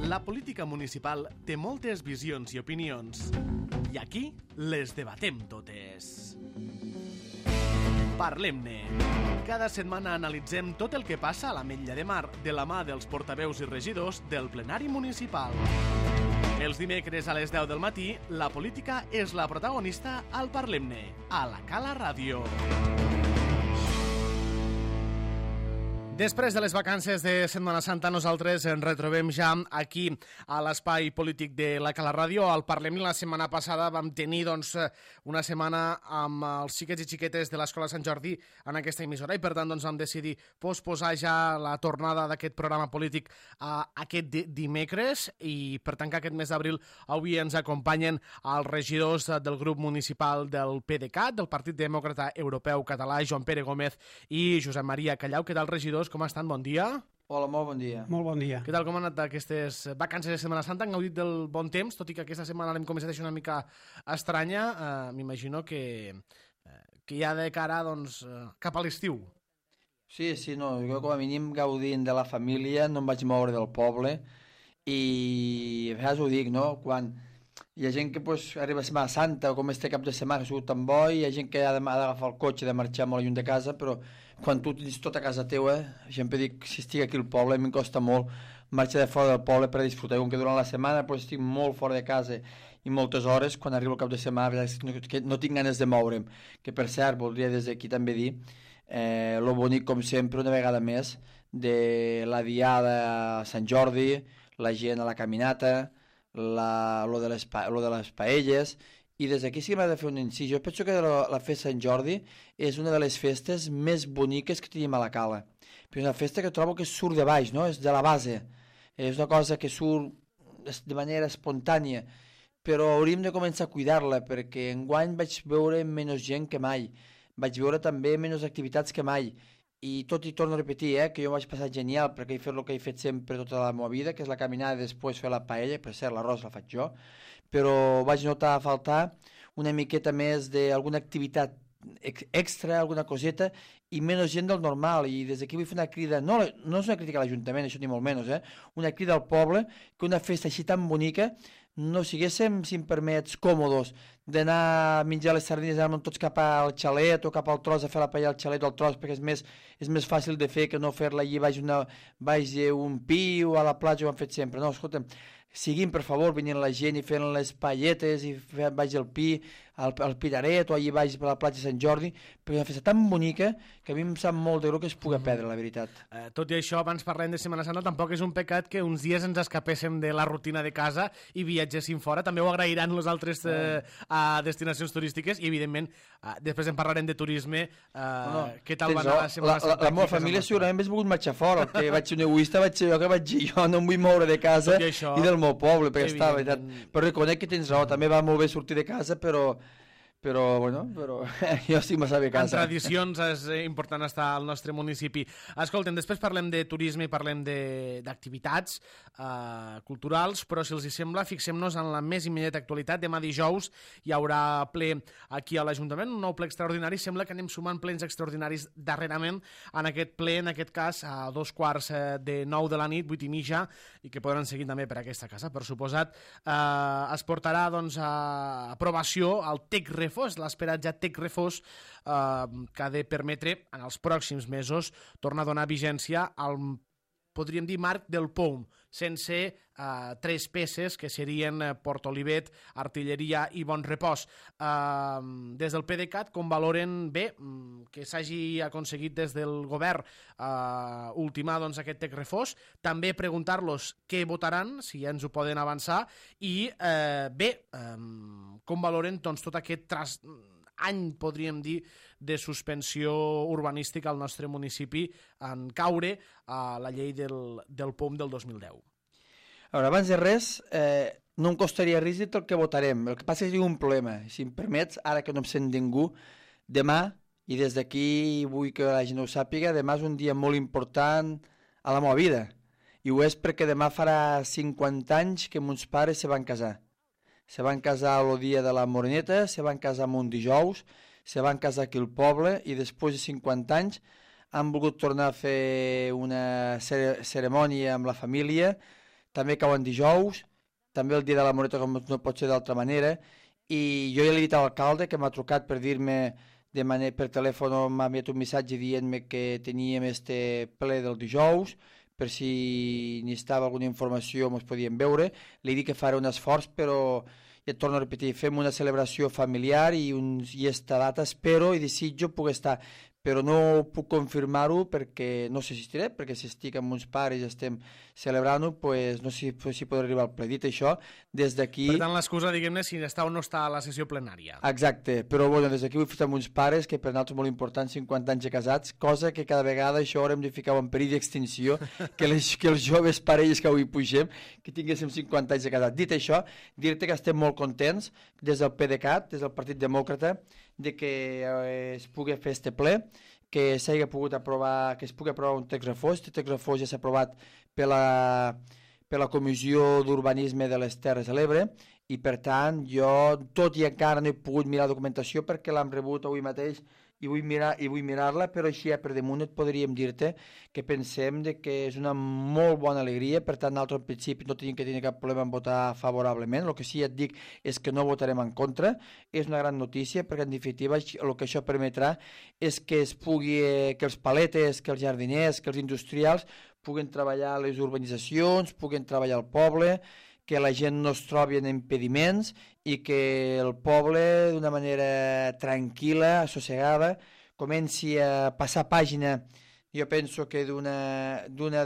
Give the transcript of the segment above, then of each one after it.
La política municipal té moltes visions i opinions. I aquí les debatem totes. Parlem-ne. Cada setmana analitzem tot el que passa a l'Ametlla de Mar de la mà dels portaveus i regidors del plenari municipal. Els dimecres a les 10 del matí, la política és la protagonista al Parlem-ne, a la Cala Ràdio. Després de les vacances de Setmana Santa, nosaltres ens retrobem ja aquí a l'espai polític de la Cala Ràdio. Al Parlem-ne la setmana passada vam tenir una setmana amb els xiquets i xiquetes de l'Escola Sant Jordi en aquesta emissora i per tant vam decidir posposar ja la tornada d'aquest programa polític a aquest dimecres i per tant que aquest mes d'abril avui ens acompanyen els regidors del grup municipal del PDeCAT, del Partit Demòcrata Europeu Català, Joan Pere Gómez i Josep Maria Callau. Què tal, regidors? Com estan? Bon dia. Hola, molt bon dia. Molt bon dia. Què tal, com han anat aquestes vacances de Setmana Santa? Han gaudit del bon temps, tot i que aquesta setmana l'hem començat a deixar una mica estranya. M'imagino que ja de cara cap a l'estiu. Sí, no, jo com a mínim gaudint de la família, no em vaig moure del poble i a vegades ho dic, no? Quan hi ha gent que arriba a Setmana Santa o com este cap de setmana que ha sigut tan bo i hi ha gent que ha d'agafar el cotxe i de marxar molt lluny de casa, però quan tu tens tota casa teua, sempre dic, si estic aquí al poble em costa molt marxar de fora del poble per a disfrutar, com que durant la setmana estic molt fora de casa i moltes hores, quan arribo al cap de setmana no tinc ganes de moure'm, que per cert voldria des d'aquí també dir lo bonic com sempre una vegada més de la diada a Sant Jordi, la gent a la caminata, lo de les paelles, i des d'aquí sí que m'ha de fer un incís. Jo penso que la festa Sant Jordi és una de les festes més boniques que tenim a la Cala, però és una festa que trobo que surt de baix, no? És de la base, és una cosa que surt de manera espontània, però hauríem de començar a cuidar-la, perquè enguany vaig veure menys gent que mai, vaig veure també menys activitats que mai, i tot i torno a repetir, que jo vaig passar genial perquè he fet el que he fet sempre tota la meva vida, que és la caminada i després fer la paella, per cert l'arròs la faig jo, però vaig notar a faltar una miqueta més d'alguna activitat extra, alguna coseta, i menys gent del normal, i des d'aquí vull fer una crida, no és una crítica a l'Ajuntament, això ni molt menys, una crida al poble, que una festa així tan bonica no siguéssim, si em permets, còmodos, d'anar a menjar les sardines, anar tots cap al xalet o cap al tros a fer la paella al xalet o al tros, perquè és més fàcil de fer que no fer-la allí baix un pi o a la platja, ho han fet sempre. No, escolta'm, siguin, per favor, venint la gent i fent les paelletes i baix el pi, al Piraret o allà baix a la platja de Sant Jordi, perquè és una festa tan bonica que a mi em sap molt de greu que es pugui perdre, la veritat. Tot i això, abans parlem de Setmana Santa, tampoc és un pecat que uns dies ens escapéssim de la rutina de casa i viatgéssim fora. També ho agrairan les altres destinacions turístiques i, evidentment, després en parlarem de turisme. Què tal va anar la Setmana Santa? La meva família segurament hauria volgut marxar fora. El que vaig ser un egoista vaig ser jo que vaig dir jo no em vull moure de casa i del meu poble, perquè està, veritat. Però reconec que tens raó, també va molt bé sortir de casa, però jo estic massa bé a casa. En tradicions és important estar al nostre municipi. Escolta'm, després parlem de turisme i parlem d'activitats culturals, però si els hi sembla, fixem-nos en la més immediata actualitat. Demà dijous hi haurà ple aquí a l'Ajuntament, un nou ple extraordinari. Sembla que anem sumant plens extraordinaris darrerament en aquest ple, en aquest cas a 2:45 de la nit, 8:30, i que podran seguir també per aquesta casa, per suposat. Es portarà a aprovació el TEC Refós, l'esperat ja TEC Refós, que ha de permetre en els pròxims mesos tornar a donar vigència al, podríem dir, marc del POUM, sense tres peces que serien Port Olivet, Artilleria i Bon Repòs. Des del PDeCAT, com valoren bé que s'hagi aconseguit des del govern ultimar aquest TEC Refós? També preguntar-los què votaran, si ja ens ho poden avançar, i com valoren tot aquest any, podríem dir, de suspensió urbanística al nostre municipi en caure a la llei del POUM del 2010. A veure, abans de res, no em costaria res dir el que votarem. El que passa és que hi ha un problema. Si em permets, ara que no em sent ningú, demà, i des d'aquí vull que la gent ho sàpiga, demà és un dia molt important a la meva vida. I ho és perquè demà farà 50 anys que mons pares se van casar. Se van casar el dia de la Moreneta, se van casar un dijous, se van casar aquí al poble i després de 50 anys han volgut tornar a fer una cerimònia amb la família també cauen dijous, també el dia de la Moreta com no pot ser d'altra manera, i jo ja l'he dit a l'alcalde que m'ha trucat per dir-me per telèfon, m'ha enviat un missatge dient-me que teníem este ple del dijous, per si necessitava alguna informació ens podíem veure. Li dic que faré un esforç, però ja et torno a repetir, fem una celebració familiar i esta data espero i desitjo poder estar, però no puc confirmar-ho perquè no assistiré, perquè si estic amb uns pares i estem celebrant-ho, pues, no sé si podré arribar al ple. Dit això, des d'aquí... Per tant, l'excusa, diguem-ne, si està o no està a la sessió plenària. Exacte, però bueno, des d'aquí vull fer amb uns pares, que per nosaltres és molt important, 50 anys de casats, cosa que cada vegada això haurem de ficar en perill d'extinció, que els joves parelles que avui pugem, que tinguéssim 50 anys de casats. Dit això, dir-te que estem molt contents des del PDeCAT, des del Partit Demòcrata, de que es pugui fer este ple, que s'hagi pogut aprovar, que es pugui aprovar un text refós. Este text refós ja s'ha aprovat per la Comissió d'Urbanisme de les Terres de l'Ebre i per tant jo tot i encara no he pogut mirar la documentació perquè l'hem rebut avui mateix i vull mirar-la, però així per damunt et podríem dir-te que pensem de que és una molt bona alegria, per tant nosaltres en principi no tenim que tenir cap problema en votar favorablement. El que sí et dic és que no votarem en contra, és una gran notícia perquè en definitiva el que això permetrà és que es pugui, que els paletes, que els jardiners, que els industrials puguen treballar a les urbanitzacions, puguen treballar al poble, que la gent no es trobi en impediments i que el poble d'una manera tranquil·la, assossegada, comenci a passar pàgina. Jo penso que d'una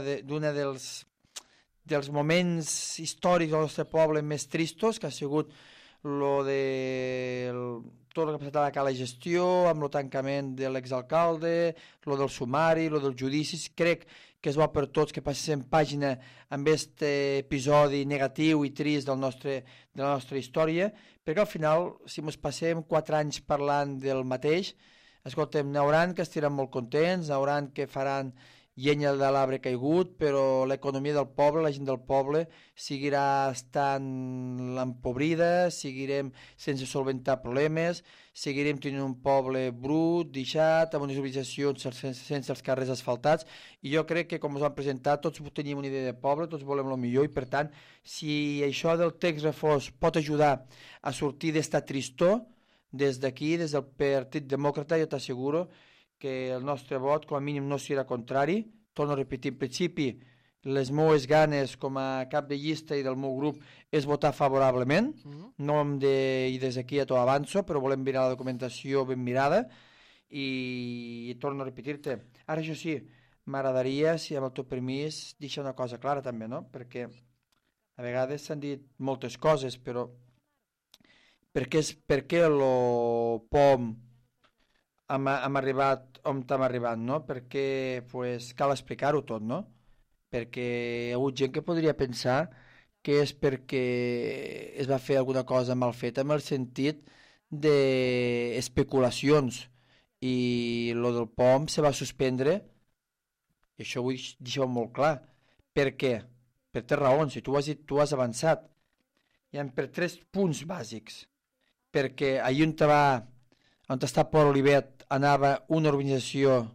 dels moments històrics del nostre poble més tristos, que ha sigut tot el que ha passat a la cala gestió, amb el tancament de l'exalcalde, lo del sumari, lo dels judicis. Crec que és bo per tots que passem pàgina amb aquest episodi negatiu i trist de la nostra història, perquè al final, si ens passem 4 anys parlant del mateix, escoltem, n'hauran que estiran molt contents, n'hauran que faran llenya de l'arbre caigut, però l'economia del poble, la gent del poble, seguirà estant empobrida, seguirem sense solventar problemes, seguirem tenint un poble brut, deixat, amb unes urbanitzacions sense els carrers asfaltats, i jo crec que, com us han presentat, tots tenim una idea de poble, tots volem el millor, i per tant, si això del text refós pot ajudar a sortir d'esta tristor, des d'aquí, des del Partit Demòcrata, jo t'asseguro que el nostre vot, com a mínim, no serà contrari. Torno a repetir, en principi, les meves ganes com a cap de llista i del meu grup és votar favorablement. No hem de, i des d'aquí ja t'ho avanço, però volem mirar la documentació ben mirada i torno a repetir-te. Ara, això sí, m'agradaria, si amb el teu permís, deixar una cosa clara també, no? Perquè a vegades s'han dit moltes coses, però per què el POM hem arribat on hem arribat, no? Perquè cal explicar-ho tot, no? Perquè hi ha hagut gent que podria pensar que és perquè es va fer alguna cosa mal feta en el sentit d'especulacions i lo del POM se va suspendre i això vull deixar molt clar. Per què? Per 3 raons, si tu has avançat. Hi ha per 3 punts bàsics. Perquè allà on està Port Olivet anava una urbanització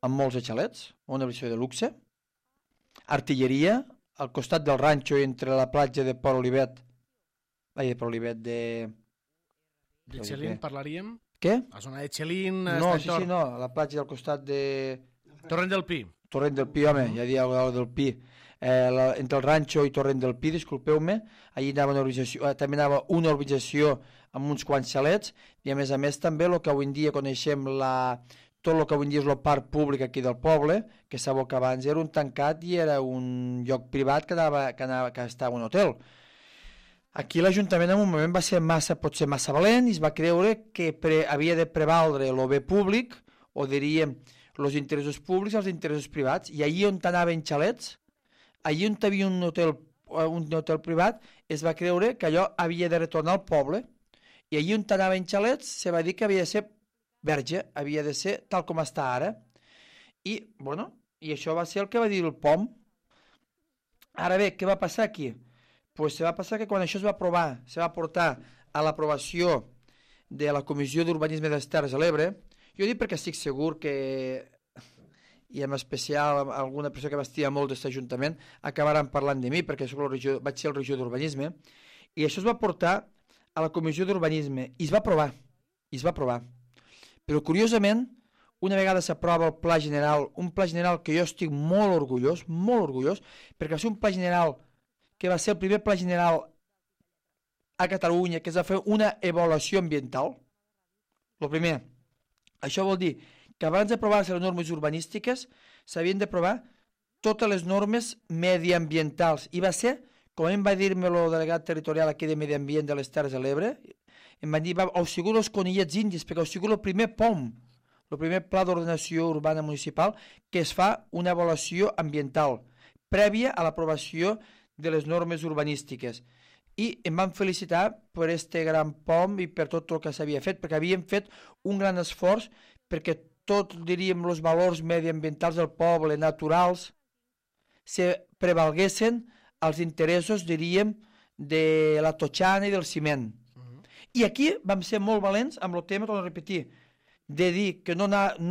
amb molts xalets, una urbanització de luxe, artilleria, al costat del ranxo entre la platja de Port Olivet, de Xelin parlaríem? Què? La zona de Xelin... No, no, la platja del costat de... Torrent del Pi. Torrent del Pi, home, ja dic alguna del Pi. Entre el ranxo i Torrent del Pi, disculpeu-me, allí també anava una urbanització amb uns quants xalets, i a més també el que avui en dia coneixem tot el que avui en dia és el parc públic aquí del poble, que sabeu que abans era un tancat i era un lloc privat que estava un hotel. Aquí l'Ajuntament en un moment va ser potser massa valent i es va creure que havia de prevaldre el bé públic, o diríem els interessos públics als interessos privats, i allí on anaven xalets, allí on hi havia un hotel privat, es va creure que allò havia de retornar al poble, i allí on anaven xalets se va dir que havia de ser verge, havia de ser tal com està ara. I això va ser el que va dir el POM. Ara bé, què va passar aquí? Se va passar que quan això es va aprovar, se va portar a l'aprovació de la Comissió d'Urbanisme de les Terres de l'Ebre, jo dic perquè estic segur que i en especial alguna persona que m'estima molt d'aquest ajuntament, acabaran parlant de mi, perquè vaig ser el regidor d'urbanisme, i això es va portar a la comissió d'urbanisme, i es va aprovar. Però curiosament, una vegada s'aprova el pla general, un pla general que jo estic molt orgullós, perquè va ser un pla general que va ser el primer pla general a Catalunya que es va fer una avaluació ambiental. El primer. Això vol dir que abans d'aprovar-se les normes urbanístiques s'havien d'aprovar totes les normes mediambientals. I va ser, com em va dir-me el delegat territorial aquí de Medi Ambient de les Terres de l'Ebre, em van dir, heu sigut els conillets indis, perquè heu sigut el primer POM, el primer Pla d'Ordenació Urbana Municipal, que es fa una avaluació ambiental prèvia a l'aprovació de les normes urbanístiques. I em van felicitar per este gran POM i per tot el que s'havia fet, perquè havíem fet un gran esforç perquè tots, diríem, els valors mediambientals del poble, naturals, se prevalguessin als interessos, diríem, de la totxana i del ciment. I aquí vam ser molt valents amb el tema, torno a repetir, de dir que no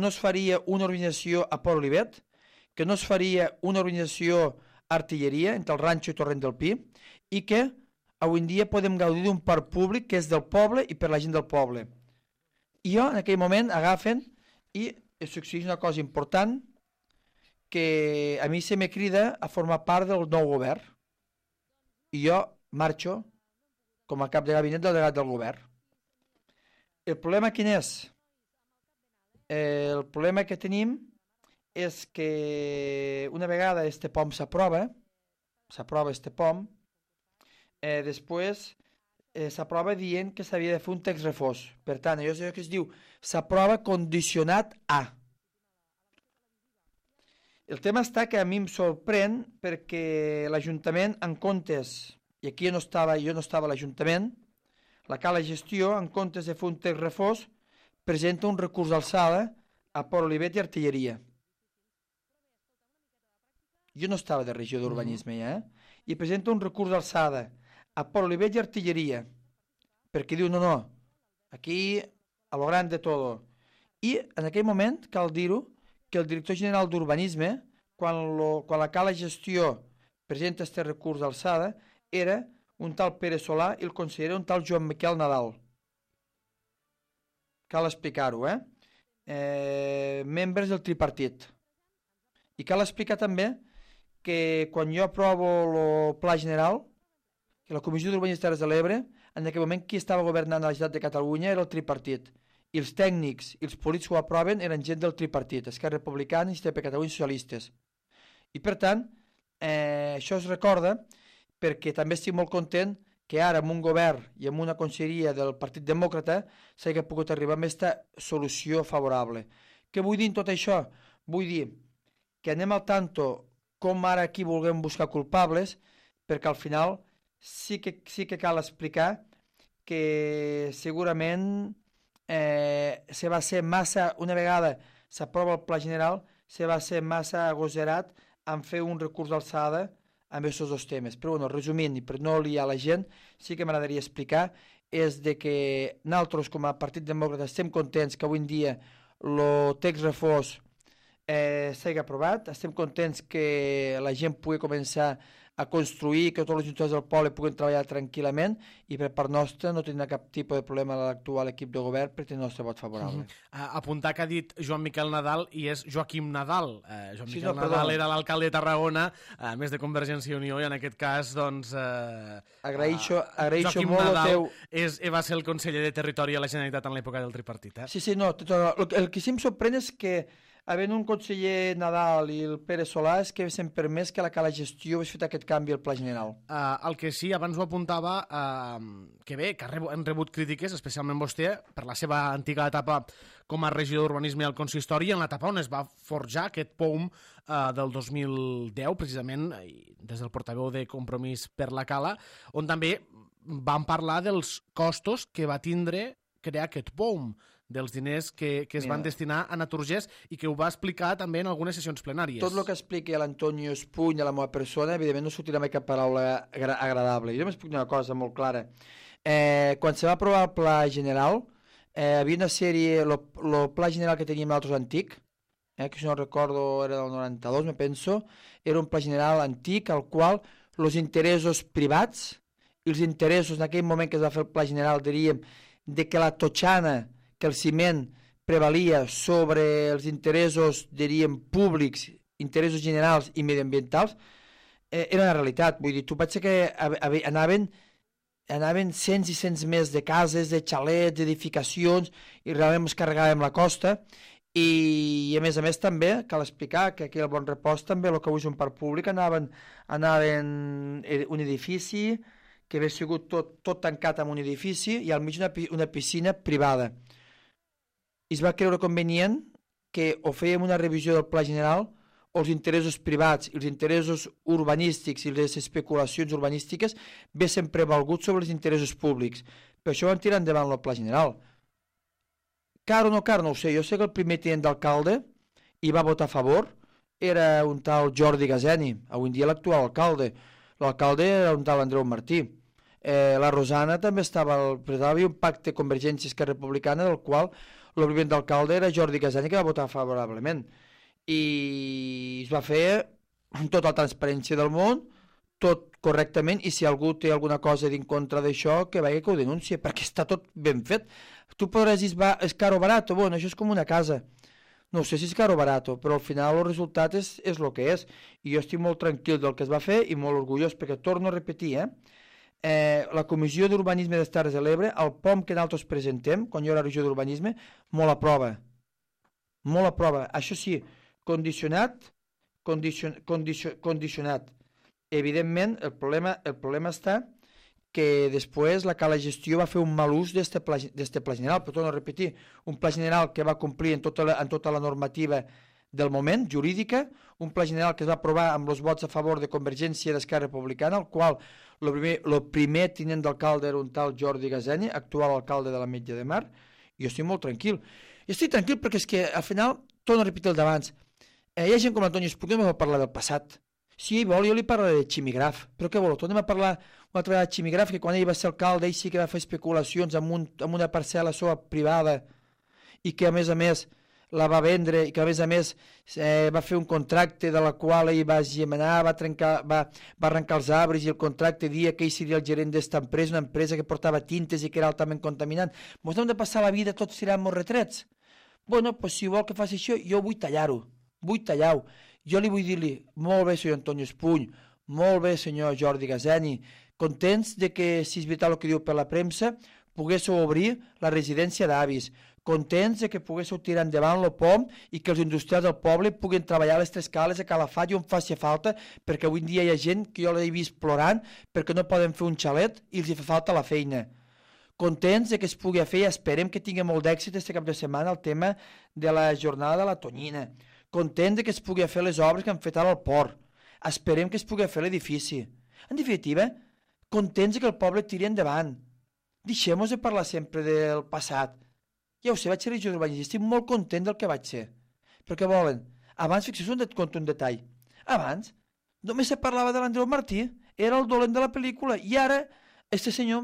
es faria una organització a Port Olivet, que no es faria una organització artilleria entre el Ranxo i Torrent del Pi, i que avui en dia podem gaudir d'un parc públic que és del poble i per la gent del poble. I jo, en aquell moment, agafen i succeeix una cosa important, que a mi se me crida a formar part del nou govern. I jo marxo com a cap de gabinet del delegat del govern. El problema quin és? El problema que tenim és que una vegada este POM s'aprova este POM, després s'aprova dient que s'havia de fer un text refós. Per tant, allò és allò que es diu s'aprova condicionat a. El tema està que a mi em sorprèn perquè l'Ajuntament, en comptes, i aquí jo no estava a l'Ajuntament, la Cala Gestió, en comptes de fer un text refós, presenta un recurs d'alçada a Port Olivet i Artilleria. Jo no estava de regió d'urbanisme ja, i presenta un recurs d'alçada a Port Olivet i Artilleria, perquè diu, no, aquí a lo gran de todo. I en aquell moment, cal dir-ho, que el director general d'urbanisme, quan la Cala Gestió presenta este recurs d'alçada, era un tal Pere Solà i el conseller era un tal Joan Miquel Nadal. Cal explicar-ho, membres del tripartit. I cal explicar també que quan jo aprovo el Pla General, que la Comissió d'Urbanisme de Terres de l'Ebre, en aquell moment qui estava governant a la Generalitat de Catalunya era el tripartit. I els tècnics i els polítics que ho aproven eren gent del tripartit, Esquerra Republicana, Iniciativa per Catalunya i Socialistes. I per tant, això es recorda perquè també estic molt content que ara amb un govern i amb una conselleria del Partit Demòcrata s'hagi pogut arribar a aquesta solució favorable. Què vull dir en tot això? Vull dir que anem al tanto com ara aquí vulguem buscar culpables, perquè al final sí que cal explicar que segurament se va ser massa, una vegada s'aprova el Pla General, se va ser massa agosarat en fer un recurs d'alçada amb aquests dos temes. Però bueno, resumint, i per no liar la gent, sí que m'agradaria explicar és de que nosaltres com a Partit Demòcrata estem contents que avui en dia el text refós s'hagi aprovat, estem contents que la gent pugui començar a construir, que tots els ajuntants del poble puguin treballar tranquil·lament i per part nostra no tindrà cap tipus de problema a l'actual equip de govern per tenir el nostre vot favorable. Apuntar que ha dit Joan Miquel Nadal i és Joaquim Nadal. Joan Miquel Nadal era l'alcalde de Tarragona, a més de Convergència i Unió, i en aquest cas, doncs... Agraeixo Joaquim molt Nadal va ser el conseller de Territori a la Generalitat en l'època del tripartit. Sí, no, el que sí em sorprèn és que havent un conseller Nadal i el Pere Solà és que s'han permès que la Cala Gestió hagués fet aquest canvi al Pla General. El que sí, abans ho apuntava, que bé, que han rebut crítiques, especialment vostè, per la seva antiga etapa com a regidor d'urbanisme al consistori, en l'etapa on es va forjar aquest POUM del 2010, precisament, des del portaveu de Compromís per la Cala, on també vam parlar dels costos que va tindre crear aquest POUM, dels diners que es van destinar a Naturgés i que ho va explicar també en algunes sessions plenàries. Tot el que expliqui l'Antonio Espuny a la meva persona, evidentment no sortirà mai cap paraula agradable. Jo m'explico una cosa molt clara. Quan se va aprovar el Pla General, havia una sèrie, el Pla General que teníem nosaltres antic, que si no recordo era del 92, me penso, era un Pla General antic al qual els interessos privats i els interessos en aquell moment que es va fer el Pla General, diríem, de que la totxana, que el ciment prevalia sobre els interessos, diríem, públics, interessos generals i mediambientals, era una realitat. Vull dir, tu pensa que anaven cents i cents més de cases, de xalets, d'edificacions, i realment ens carregàvem la costa, i a més també cal explicar que aquí al Bon Repòs també el que avui és un parc públic anaven un edifici que havia sigut tot tancat en un edifici i al mig una piscina privada, i es va creure convenient que o fèiem una revisió del Pla General o els interessos privats i els interessos urbanístics i les especulacions urbanístiques vessin prevalguts sobre els interessos públics. Per això van tirar endavant el Pla General. Car o no car, no ho sé. Jo sé que el primer tinent d'alcalde hi va votar a favor, era un tal Jordi Gazeni, avui en dia l'actual alcalde. L'alcalde era un tal Andreu Martí. La Rosana també estava, hi havia un pacte Convergència Esquerra Republicana del qual el primer d'alcalde era Jordi Gazeni, que va votar favorablement. I es va fer amb tota la transparència del món, tot correctament, i si algú té alguna cosa en contra d'això, que vagi que ho denuncie, perquè està tot ben fet. Tu podràs dir, és caro o barato, bueno, això és com una casa. No sé si és caro o barato, però al final el resultat és el que és. I jo estic molt tranquil del que es va fer i molt orgullós, perquè torno a repetir, la Comissió d'Urbanisme de les Terres de l'Ebre, el POM que nosaltres presentem, quan jo era regió d'Urbanisme, molt aprova. Molt aprova. Això sí, condicionat. Evidentment, el problema està que després la Cala Gestió va fer un mal ús d'este pla general, però torno a repetir, un pla general que va complir en tota la normativa del moment, jurídica, un pla general que es va aprovar amb els vots a favor de Convergència i d'Esquerra Republicana, el qual el primer tinent d'alcalde era un tal Jordi Gazeni, actual alcalde de l'Ametlla de Mar, i jo estic molt tranquil. I estic tranquil perquè és que al final, torno a repetir el d'abans, hi ha gent com l'Antoni Espuny que no va parlar del passat. Si ell vol, jo li parlaré de Ximigraf, però què voleu? Tornem a parlar una altra vegada de Ximigraf, que quan ell va ser alcalde, ell sí que va fer especulacions amb una parcel·la seva privada i que a més la va vendre i que a més va fer un contracte de la qual ell va gemenar, va arrencar els arbres i el contracte dia que ell seria el gerent d'esta empresa, una empresa que portava tintes i que era altament contaminant. Ens hem de passar la vida tots tirant-nos retrets? Bueno, doncs si vol que faci això, jo vull tallar-ho, Jo li vull dir-li, molt bé senyor Antoni Espuny, molt bé senyor Jordi Gazeni, contents de que, si és veritat el que diu per la premsa, poguéssiu obrir la residència d'avis, contents de que poguéssiu tirar endavant el POM i que els industrials del poble puguin treballar a les tres cales a Calafat i on faci falta, perquè avui en dia hi ha gent que jo l'he vist plorant perquè no poden fer un xalet i els hi fa falta la feina. Contents de que es pugui fer i esperem que tingui molt d'èxit aquest cap de setmana el tema de la jornada de la tonyina. Contents que es pugui fer les obres que han fet ara al port. Esperem que es pugui fer l'edifici. En definitiva, contents que el poble tiri endavant. Deixem-nos de parlar sempre del passat. Ja ho sé, vaig ser regidor d'urbanisme, estic molt content del que vaig ser. Però què volen? Abans, fixeu-vos et conto un detall. Abans, només se parlava de l'Andreu Martí, era el dolent de la pel·lícula, i ara, este senyor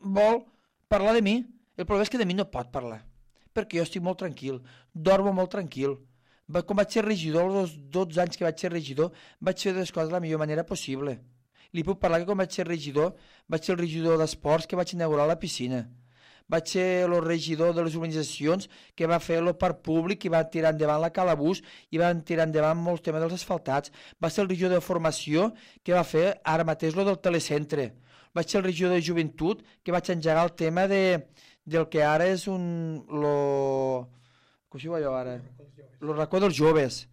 vol parlar de mi. El problema és que de mi no pot parlar, perquè jo estic molt tranquil, dormo molt tranquil. Com vaig ser regidor, els 12 anys que vaig ser regidor, vaig fer les coses de la millor manera possible. Li puc parlar que quan vaig ser el regidor d'esports que vaig inaugurar la piscina. Vaig ser el regidor de les urbanitzacions que va fer el parc públic i va tirar endavant la Calabús i van tirar endavant molts temes dels asfaltats. Va ser el regidor de formació que va fer ara mateix lo del telecentre. Vaig ser el regidor de joventut que vaig engegar el tema del que ara és com si ho veig ara? El racó dels joves.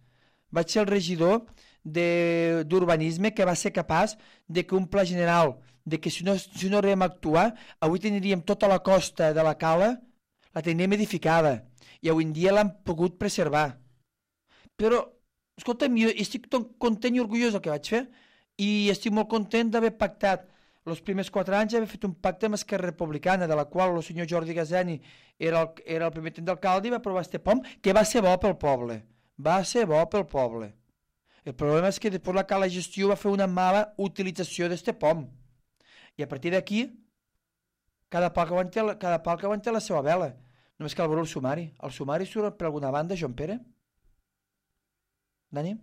Vaig ser el regidor d'urbanisme que va ser capaç de que un pla general, de que si no arribem a actuar, avui tindríem tota la costa de la cala, la tindríem edificada, i avui en dia l'han pogut preservar. Però, escolta'm, jo estic content i orgullós del que vaig fer, i estic molt content d'haver pactat els primers 4 anys, haver fet un pacte amb Esquerra Republicana, de la qual el senyor Jordi Gazeni era el primer tinent d'alcalde i va aprovar este POM, que va ser bo pel poble. Va ser bo pel poble. El problema és que després la Cala Gestió va fer una mala utilització d'este POM. I a partir d'aquí, cada pal que aguanta la seva vela. Només cal veure el sumari. El sumari surt per alguna banda, Joan Pere? Dani?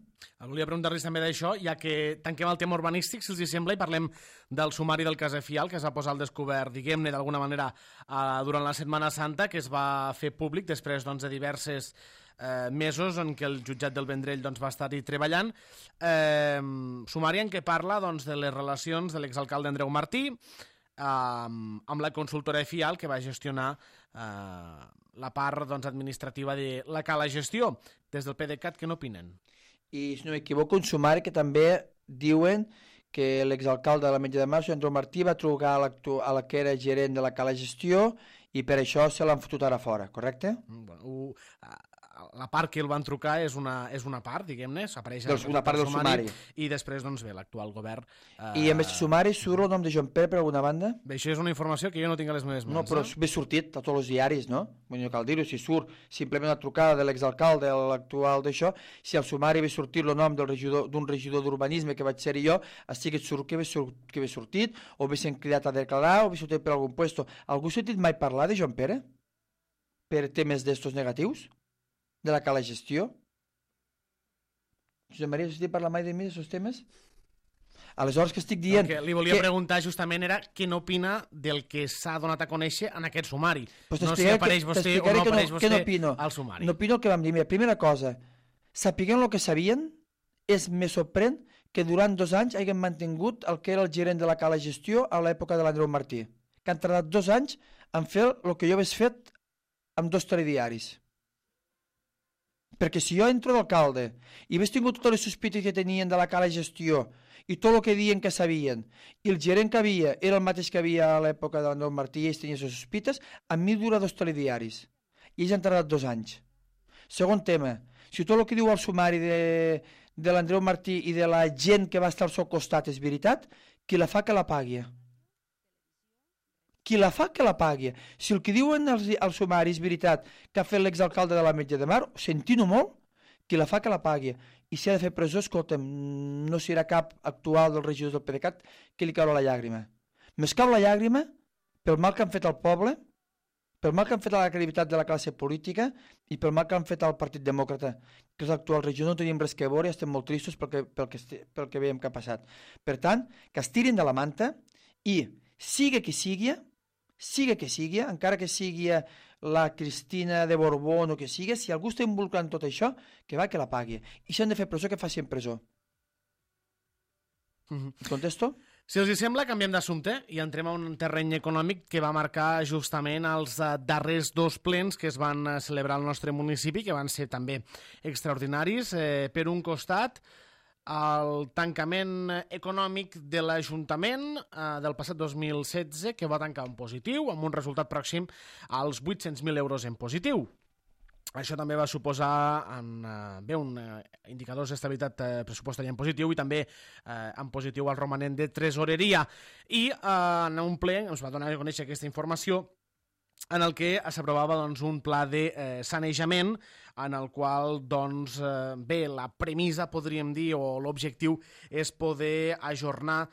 Volia preguntar-los també d'això, ja que tanquem el tema urbanístic, si els hi sembla, i parlem del sumari del cas Efial, que es va posar al descobert, diguem-ne, d'alguna manera, durant la Setmana Santa, que es va fer públic després de diverses mesos en què el jutjat del Vendrell va estar-hi treballant. Sumari en què parla de les relacions de l'exalcalde Andreu Martí amb la consultora Efial, que va gestionar la part administrativa de la Cala Gestió. Des del PDeCAT, què n'opinen? I, si no m'equivoco, un sumari que també diuen que l'exalcalde de l'Ametlla de Mar, Andreu Martí, va trucar a la que era gerent de la Cala Gestió i per això se l'han fotut ara fora, correcte? La part que el van trucar és una part, diguem-ne, s'apareix una part del sumari. I després, bé, l'actual govern... I en aquest sumari surt el nom de Joan Pere per alguna banda? Bé, això és una informació que jo no tinc a les meves mans. No, però ve sortit a tots els diaris, no? No cal dir-ho, si surt simplement una trucada de l'exalcalde, l'actual d'això, si al sumari ve sortit el nom d'un regidor d'urbanisme que vaig ser jo, estigui surt que ve sortit, o ve sent cridat a declarar, o ve sortit per algun puesto. Algú ha sentit mai parlar de Joan Pere? Per temes d'estos negatius? De la Cala Gestió? Josep Maria, has sentit parlar mai de mi d'aquests temes? Aleshores, que estic dient... El que li volia preguntar justament era què n'opina del que s'ha donat a conèixer en aquest sumari. Pues no si apareix vostè o no apareix vostè al sumari. N'opino el que vam dir. Mira, primera cosa, sapiguem el que sabien, me sorprèn que durant 2 anys hagin mantingut el que era el gerent de la Cala Gestió a l'època de l'Andreu Martí, que han tardat 2 anys en fer el que jo hagués fet amb 2 telediaris. Perquè si jo entro d'alcalde i hagués tingut totes les sospites que tenien de la Cala Gestió i tot el que diuen que sabien, i el gerent que havia era el mateix que havia a l'època de l'Andreu Martí i ells tenien les sospites, a mi dura 2 telediaris. I ells han tardat 2 anys. Segon tema, si tot el que diu el sumari de l'Andreu Martí i de la gent que va estar al seu costat és veritat, qui la fa que la pagui. Qui la fa que la pagui. Si el que diuen al sumari és veritat que ha fet l'exalcalde de l'Ametlla de Mar, sentint-ho molt, qui la fa que la pagui. I si ha de fer presó, escolta'm, no serà cap actual dels regidors del PDeCAT que li caurà la llàgrima. Més cau la llàgrima pel mal que han fet al poble, pel mal que han fet a la credibilitat de la classe política i pel mal que han fet al Partit Demòcrata, que és l'actual regidor. No tenim res que veure i estem molt tristos pel que veiem que ha passat. Per tant, que es tirin de la manta i, siga que sigui, encara que sigui la Cristina de Borbó o que sigui, si algú està involucrat en tot això, que va que la pagui. I si han de fer presó, que faci en presó. Contesto? Si els sembla, canviem d'assumpte i entrem a un terreny econòmic que va marcar justament els darrers 2 plens que es van celebrar al nostre municipi, que van ser també extraordinaris. Per un costat, el tancament econòmic de l'Ajuntament del passat 2016, que va tancar en positiu, amb un resultat pròxim als 800.000 euros en positiu. Això també va suposar un indicadors d'estabilitat pressupostària en positiu i també en positiu el romanent de tresoreria. I en un ple ens va donar a conèixer aquesta informació en el que s'aprovava un pla de sanejament en el qual, la premissa, podríem dir, o l'objectiu és poder ajornar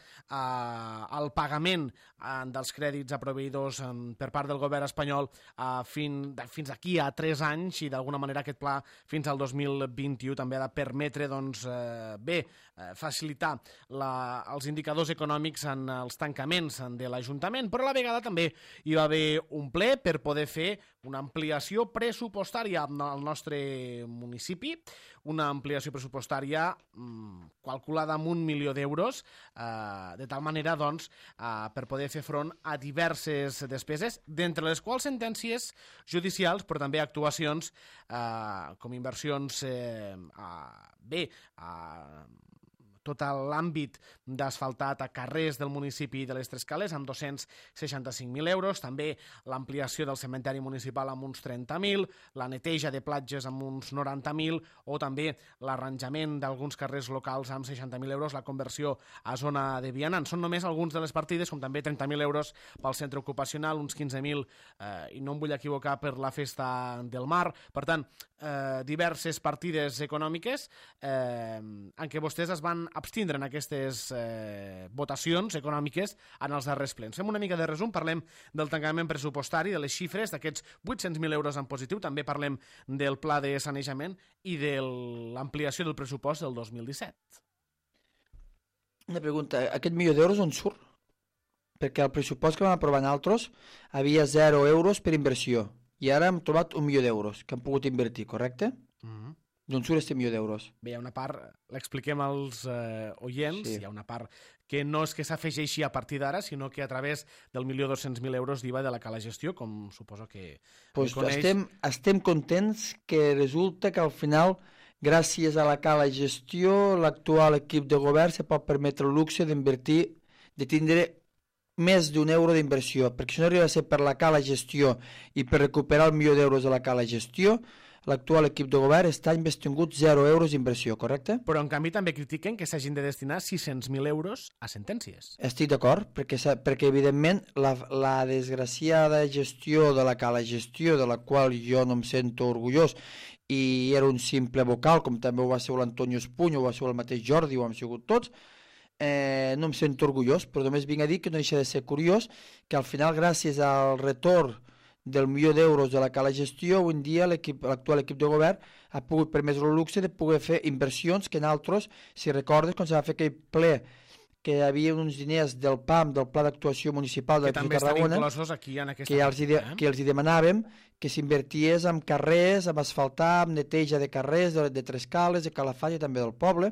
el pagament dels crèdits a proveïdors per part del govern espanyol fins aquí a 3 anys i d'alguna manera aquest pla fins al 2021 també ha de permetre facilitar els indicadors econòmics en els tancaments de l'Ajuntament, però a la vegada també hi va haver un ple per poder fer una ampliació pressupostària al nostre municipi, una ampliació pressupostària calculada amb 1 milió d'euros, de tal manera per poder fer front a diverses despeses, d'entre les quals sentències judicials, però també actuacions com inversions tot l'àmbit d'asfaltat a carrers del municipi de les Tres Cales amb 265.000 euros, també l'ampliació del cementeri municipal amb uns 30.000, la neteja de platges amb uns 90.000 o també l'arranjament d'alguns carrers locals amb 60.000 euros, la conversió a zona de vianants. Són només alguns de les partides, com també 30.000 euros pel centre ocupacional, uns 15.000, i no em vull equivocar, per la festa del mar. Per tant, diverses partides econòmiques en què vostès es van abstindre en aquestes votacions econòmiques en els darrers plens. Fem una mica de resum, parlem del tancament pressupostari, de les xifres, d'aquests 800.000 euros en positiu, també parlem del pla de sanejament i de l'ampliació del pressupost del 2017. Una pregunta, aquest milió d'euros on surt? Perquè el pressupost que vam aprovar nosaltres havia 0 euros per inversió i ara hem trobat 1 milió d'euros que hem pogut invertir, correcte? D'on surt aquest milió d'euros? Bé, hi ha una part, l'expliquem als oients, Sí. hi ha una part que no és que s'afegeixi a partir d'ara, sinó que a través del 1.200.000 euros d'IVA de la cala gestió, com suposo que Pues coneix. estem contents que resulta que al final, gràcies a la cala gestió, l'actual equip de govern se pot permetre el luxe d'invertir, de tindre més d'un euro d'inversió, perquè si no arriba a ser per la cala gestió i per recuperar el milió d'euros de la cala gestió, l'actual equip de govern està investingut 0 euros d'inversió, correcte? Però, en canvi, també critiquen que s'hagin de destinar 600.000 euros a sentències. Estic d'acord, perquè evidentment la desgraciada gestió de la cala gestió, de la qual jo no em sento orgullós, i era un simple vocal, com també ho va ser l'Antonio Espuny, ho va ser el mateix Jordi, ho hem sigut tots, no em sento orgullós, però només vinc a dir que no deixa de ser curiós que al final, gràcies al retorn del milió d'euros de la cala gestió, avui en dia l'actual equip de govern ha pogut permetre el luxe de poder fer inversions que nosaltres, si recordes, quan se va fer aquell ple que hi havia uns diners del PAM, del Pla d'Actuació Municipal de Que també estan Tarragona, inclosos aquí en aquesta que els hi demanàvem que s'inverties en carrers, en asfaltar, en neteja de carrers, de Trescales, de Calafat i també del poble,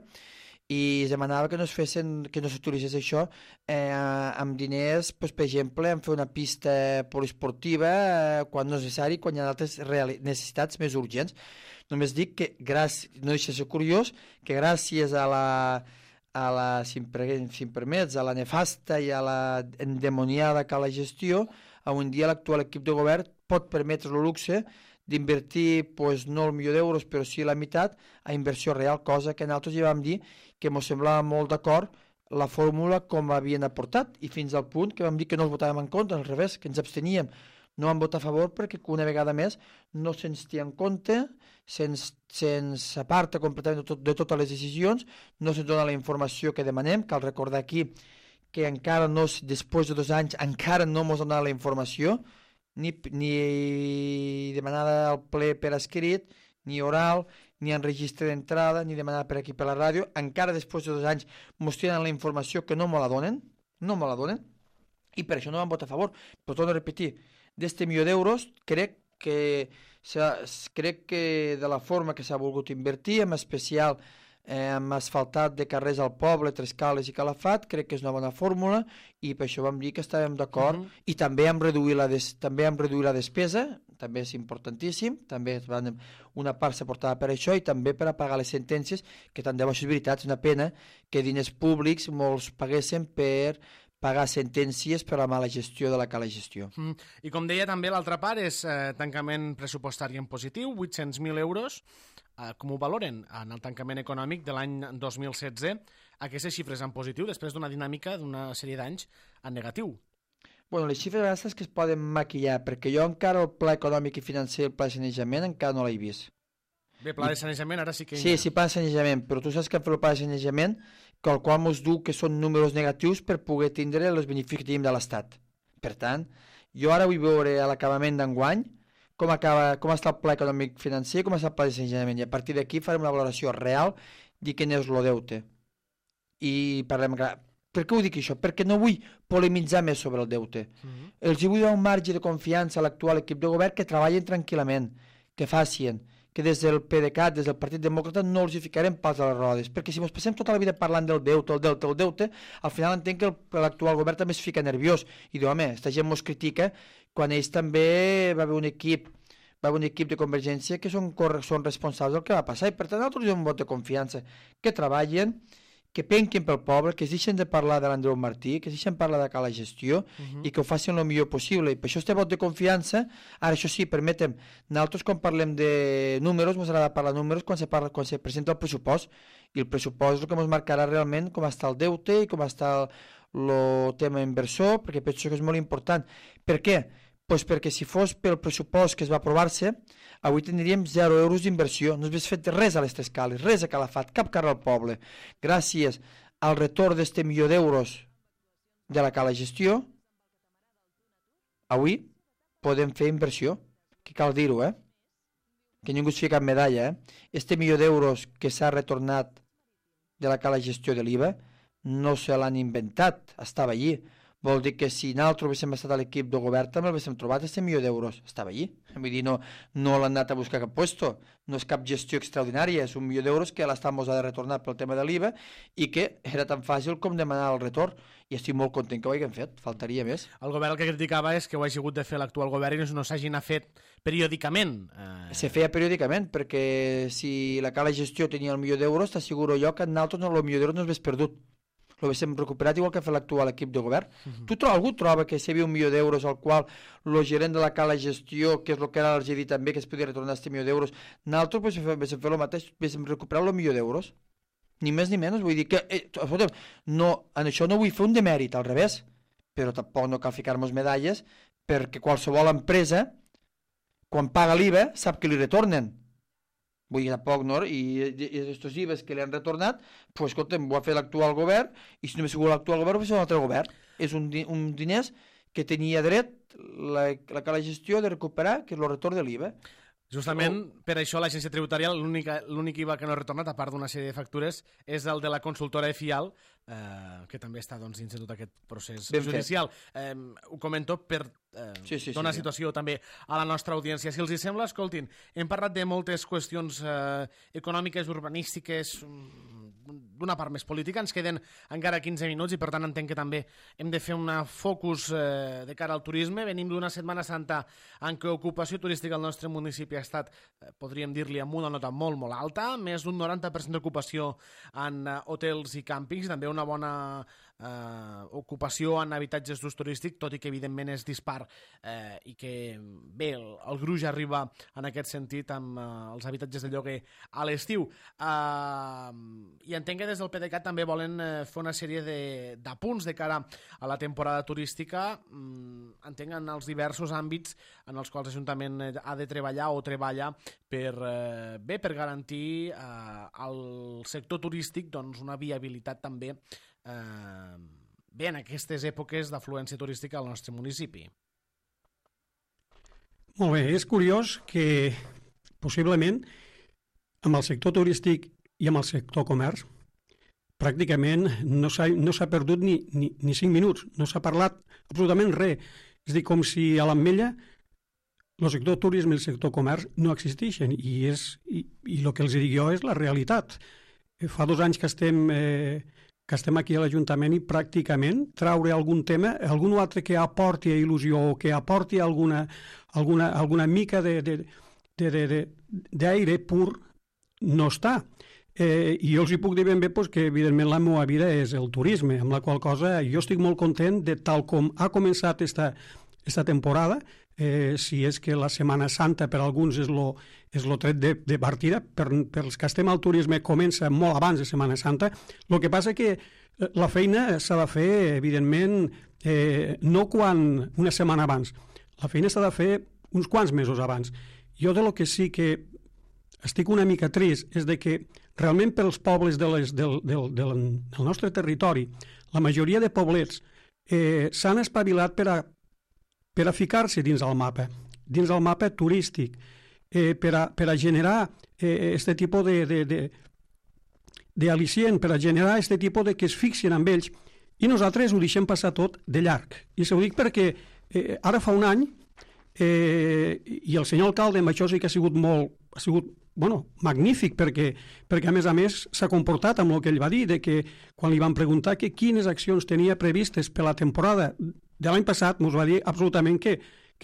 i es demanava que no s'utilitzés això amb diners, doncs, per exemple, en fer una pista poliesportiva quan no és necessari, quan hi ha altres necessitats més urgents. Només dic que, no deixa de ser curiós, que gràcies a la, si em permets, a la nefasta i a la endemoniada cala gestió, avui en dia l'actual equip de govern pot permetre el luxe d'invertir, doncs, no el milió d'euros, però sí la meitat, a inversió real, cosa que nosaltres ja vam dir que ens semblava molt d'acord la fórmula com havien aportat, i fins al punt que vam dir que no els votàvem en contra, al revés, que ens absteníem. No vam votar a favor perquè una vegada més no se'ns té en compte, se'ns aparta completament de totes les decisions, no se'ns dona la informació que demanem. Cal recordar aquí que encara no, després de 2 anys, encara no ens han donat la informació, ni demanada al ple per escrit, ni oral, ni en registre d'entrada, ni demanada per aquí per la ràdio. Encara després de 2 anys ens tenen la informació que no me la donen, i per això no vam votar a favor. Però torno a repetir, d'este milió d'euros crec que de la forma que s'ha volgut invertir, en especial amb asfaltat de carrers al poble, Trescales i Calafat, crec que és una bona fórmula, i per això vam dir que estàvem d'acord, i també hem reduït la despesa, també és importantíssim, també una part s'aportava per això, i també per a pagar les sentències, que tant de bo, això és veritat, és una pena que diners públics molts paguessin per pagar sentències per la mala gestió de la cala gestió. I com deia també, l'altra part és tancament pressupostari en positiu, 800.000 euros. Com ho valoren en el tancament econòmic de l'any 2016, aquestes xifres en positiu després d'una dinàmica d'una sèrie d'anys en negatiu? Bueno, les xifres a vegades que es poden maquillar, perquè jo encara el pla econòmic i financer, el pla de sanejament, encara no l'he vist. Bé, pla de sanejament ara sí que... Sí, pla de sanejament, però tu saps que hem fet el pla de sanejament, que el qual ens diu que són números negatius per poder tindre els beneficis que tenim de l'Estat. Per tant, jo ara vull veure a l'acabament d'enguany com està el pla econòmic financer, com està el pla de sanejament, i a partir d'aquí farem una valoració real de quin és el deute. I parlem... Per què ho dic això? Perquè no vull polemitzar més sobre el deute. Els vull donar un marge de confiança a l'actual equip de govern que treballin tranquil·lament, que facin, que des del PDeCAT, des del Partit Demòcrata, no els hi ficarem pals a les rodes, perquè si ens passem tota la vida parlant del deute, al final entenc que l'actual govern també es fica nerviós, i diu, home, esta gent mos critica, quan ells també va haver un equip de Convergència que són responsables del que va passar, i per tant nosaltres donem un vot de confiança, que treballen, que penquin pel poble, que es deixen de parlar de l'Andreu Martí, que es deixen parlar de cala gestió i que ho facin el millor possible. I per això este vot de confiança, ara això sí, permetem, nosaltres quan parlem de números, ens agrada parlar de números quan se presenta el pressupost, i el pressupost és el que ens marcarà realment com està el deute i com està el tema inversor, perquè penso que és molt important. Per què? Doncs perquè si fos pel pressupost que es va aprovar-se, avui tindríem 0 euros d'inversió. No s'hagués fet res a les Tres Cales, res a Calafat, cap carrer al poble. Gràcies al retorn d'este milió d'euros de la Cala Gestió, avui podem fer inversió, que cal dir-ho, que ningú es fica cap medalla. Este milió d'euros que s'ha retornat de la Cala Gestió de l'IVA no se l'han inventat, estava allí. Vol dir que si nosaltres haguéssim estat a l'equip de govern també l'haguéssim trobat, este milió d'euros estava allí. Vull dir, no l'han anat a buscar cap puesto, no és cap gestió extraordinària, és un milió d'euros que l'estamos ha de retornar pel tema de l'IVA i que era tan fàcil com demanar el retorn, i estic molt content que ho hagin fet, faltaria més. El govern el que criticava és que ho hagi hagut de fer l'actual govern i no s'hagin fet periòdicament. Se feia periòdicament, perquè si la Cala Gestió tenia el milió d'euros, t'asseguro jo que nosaltres el milió d'euros no s'hagués perdut. L'haguéssim recuperat igual que ha fet l'actual equip de govern. Algú troba que si hi havia un milió d'euros al qual el gerent de la Cala Gestió, que és el que ara els he dit també, que es podia retornar aquest milió d'euros, nosaltres haguéssim fet el mateix, haguéssim recuperat el milió d'euros. Ni més ni menys, vull dir que no, en això no vull fer un demèrit, al revés, però tampoc no cal ficar-nos medalles, perquè qualsevol empresa, quan paga l'IVA, sap que li retornen. Vull dir, tampoc, no? I aquests IVAs que li han retornat, doncs, escolta'm, ho ha fet l'actual govern, i si no m'ha sigut l'actual govern, ho ha fet un altre govern. És un diners que tenia dret la Cala Gestió de recuperar, que és el retorn de l'IVA. Justament per això l'agència tributària, l'únic IVA que no ha retornat, a part d'una sèrie de factures, és el de la consultora EFIAL, que també està dins de tot aquest procés judicial. Ho comento per donar situació també a la nostra audiència. Si els hi sembla, escoltin, hem parlat de moltes qüestions econòmiques, urbanístiques, d'una part més política, ens queden encara 15 minuts i per tant entenc que també hem de fer un focus de cara al turisme. Venim d'una Setmana Santa en què ocupació turística al nostre municipi ha estat, podríem dir-li, amb una nota molt, molt alta, més d'un 90% d'ocupació en hotels i càmpings, també una bona ocupació en habitatges d'ús turístic, tot i que evidentment és dispar i que bé, el gruix arriba en aquest sentit amb els habitatges de lloguer a l'estiu. I entenc que des del PDeCAT també volen fer una sèrie d'apunts de cara a la temporada turística, entenc en els diversos àmbits en els quals l'Ajuntament ha de treballar o treballa per garantir al sector turístic una viabilitat també bé en aquestes èpoques d'afluència turística al nostre municipi. Molt bé, és curiós que possiblement amb el sector turístic i amb el sector comerç pràcticament no s'ha perdut ni 5 minuts, no s'ha parlat absolutament res. És a dir, com si a l'Ametlla el sector turisme i el sector comerç no existeixen i el que els dic jo és la realitat. Fa 2 anys que estem aquí a l'Ajuntament i pràcticament traure algun tema, algun altre que aporti il·lusió o que aporti alguna mica d'aire pur no està. I jo els hi puc dir ben bé que evidentment la meva vida és el turisme, amb la qual cosa jo estic molt content de tal com ha començat esta temporada. Si és que la Setmana Santa per alguns és el tret de partida, pels que estem al turisme comença molt abans de Setmana Santa. El que passa que la feina s'ha de fer, evidentment, no una setmana abans. La feina s'ha de fer uns quants mesos abans. Jo de lo que sí que estic una mica trist és de que realment pels pobles del nostre territori, la majoria de poblets s'han espavilat per a ficar-se dins el mapa turístic, per a generar aquest tipus d'al·licient, per a generar aquest tipus de que es fixin amb ells, i nosaltres ho deixem passar tot de llarg. I s'ho dic perquè ara fa un any, i el senyor alcalde amb això sí que ha sigut magnífic, perquè a més s'ha comportat amb el que ell va dir, de que quan li van preguntar que quines accions tenia previstes per la temporada de l'any passat, ens va dir absolutament que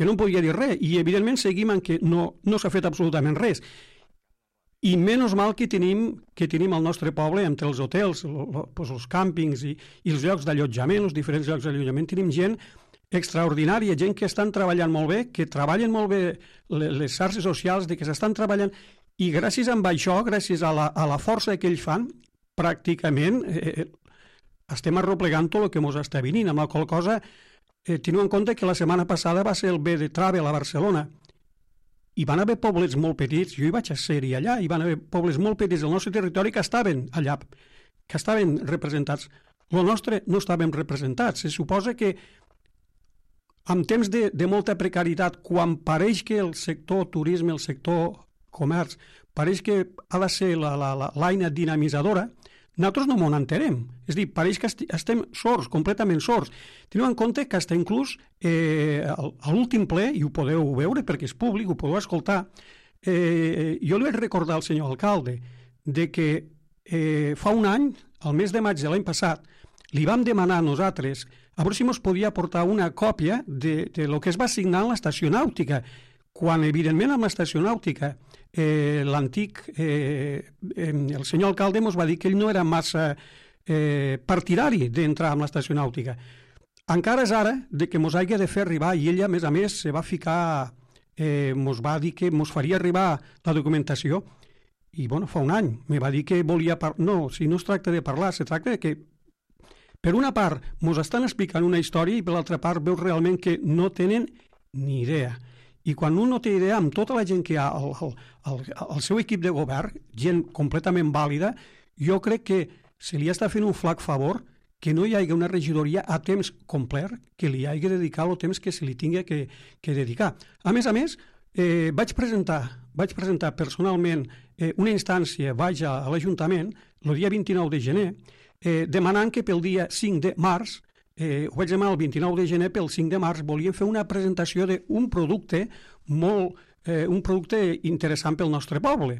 no en podia dir res, i evidentment seguim en que no s'ha fet absolutament res. I menys mal que tenim al nostre poble, entre els hotels, els càmpings i els llocs d'allotjament, els diferents llocs d'allotjament, tenim gent extraordinària, gent que estan treballant molt bé, que treballen molt bé les xarxes socials, de que s'estan treballant, i gràcies a això, gràcies a la força que ells fan, pràcticament estem arroplegant tot el que ens està venint, amb la qual cosa teniu en compte que la setmana passada va ser el B de Travel a Barcelona, hi van haver pobles molt petits, jo hi vaig ser-hi allà, hi van haver pobles molt petits del nostre territori que estaven allà, que estaven representats. El nostre no estàvem representats. Se suposa que en temps de molta precarietat, quan pareix que el sector turisme, el sector comerç, pareix que ha de ser l'eina dinamitzadora, nosaltres no m'ho entenem. És a dir, pareix que estem sords, completament sords. Teniu en compte que fins inclús a l'últim ple, i ho podeu veure perquè és públic, ho podeu escoltar, jo li vaig recordar al senyor alcalde de que fa un any, al mes de maig de l'any passat, li vam demanar a nosaltres a veure si ens podia portar una còpia de lo que es va signar en l'estació nàutica, quan, evidentment, amb l'estació nàutica l'antic, el senyor alcalde ens va dir que ell no era massa partidari d'entrar en l'estació nàutica. Encara és ara de que ens hagi de fer arribar, i ella, a més, se va ficar, ens va dir que ens faria arribar la documentació, i, bueno, fa un any, me va dir que volia parlar. No, si no es tracta de parlar, se tracta de que, per una part, ens estan explicant una història i per l'altra part veus realment que no tenen ni idea. I quan un no té idea, amb tota la gent que hi ha al seu equip de govern, gent completament vàlida, jo crec que se li està fent un flac favor que no hi hagi una regidoria a temps complet, que li hagi de dedicar el temps que se li tingui que dedicar. A més, vaig presentar personalment una instància, vaig a l'Ajuntament, el dia 29 de gener, demanant que pel dia 5 de març, ho vaig demanar el 29 de gener, pel 5 de març volíem fer una presentació d'un producte un producte interessant pel nostre poble.